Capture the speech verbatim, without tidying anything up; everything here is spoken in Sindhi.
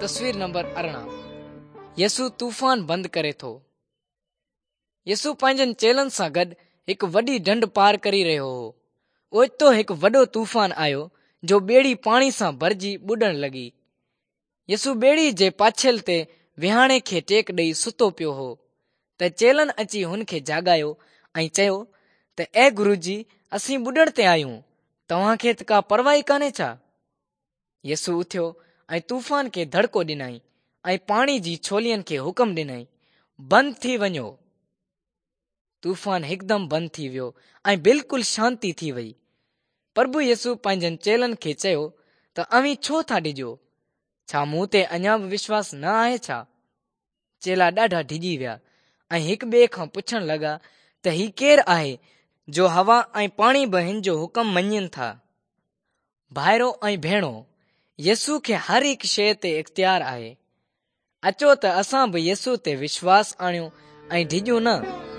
تصوير نمبر ارڙهن يسوع طوفان بند ڪري ٿو. يسوع پنهنجن چيلن سان گڏ هڪ وڏي ڍنڍ پار ڪري رهيو هو. اوچتو هڪ وڏو طوفان آيو جو ٻيڙي پاڻي سان ڀرجي ٻڏڻ لڳي. يسوع ٻيڙي جي پاڇيل تي وهاڻي کي ٽيڪ ڏئي ستو پيو هو ته چيلن اچي هن کي جاڳايو ۽ چيو ته اي گروجي، اسين ٻڏڻ تي آهيون، توهان کي ته ڪا پرواهه ئي ڪانهي ڇا؟ يسوع اٿيو ۽ طوفان کي دڙڪو ڏنائين ۽ پاڻي جي ڇولين کي حڪم ڏنائين، بند ٿي وڃو. طوفان هڪدم بند ٿي ويو ۽ بلڪل شانتي ٿي وئي. پرڀو يسوع پنهنجن چيلن کي چيو ته اوهين ڇو ٿا ڊڄو؟ ڇا مون تي اڃا به وشواس نه آهي ڇا؟ چيلا ڏاڍا ڊڄي ويا ۽ هڪ ٻئي کان پڇڻ لڳا ته هي ڪير آهي جو هوا ۽ پاڻي به هن جو حڪم مڃين ٿا؟ ڀائرو ۽ ڀيڻو، يسوع کي هر هڪ شيء تي اختيار آهي. اچو ته اسان به يسوع تي وشواس آڻيون ۽ ڊڄون نه.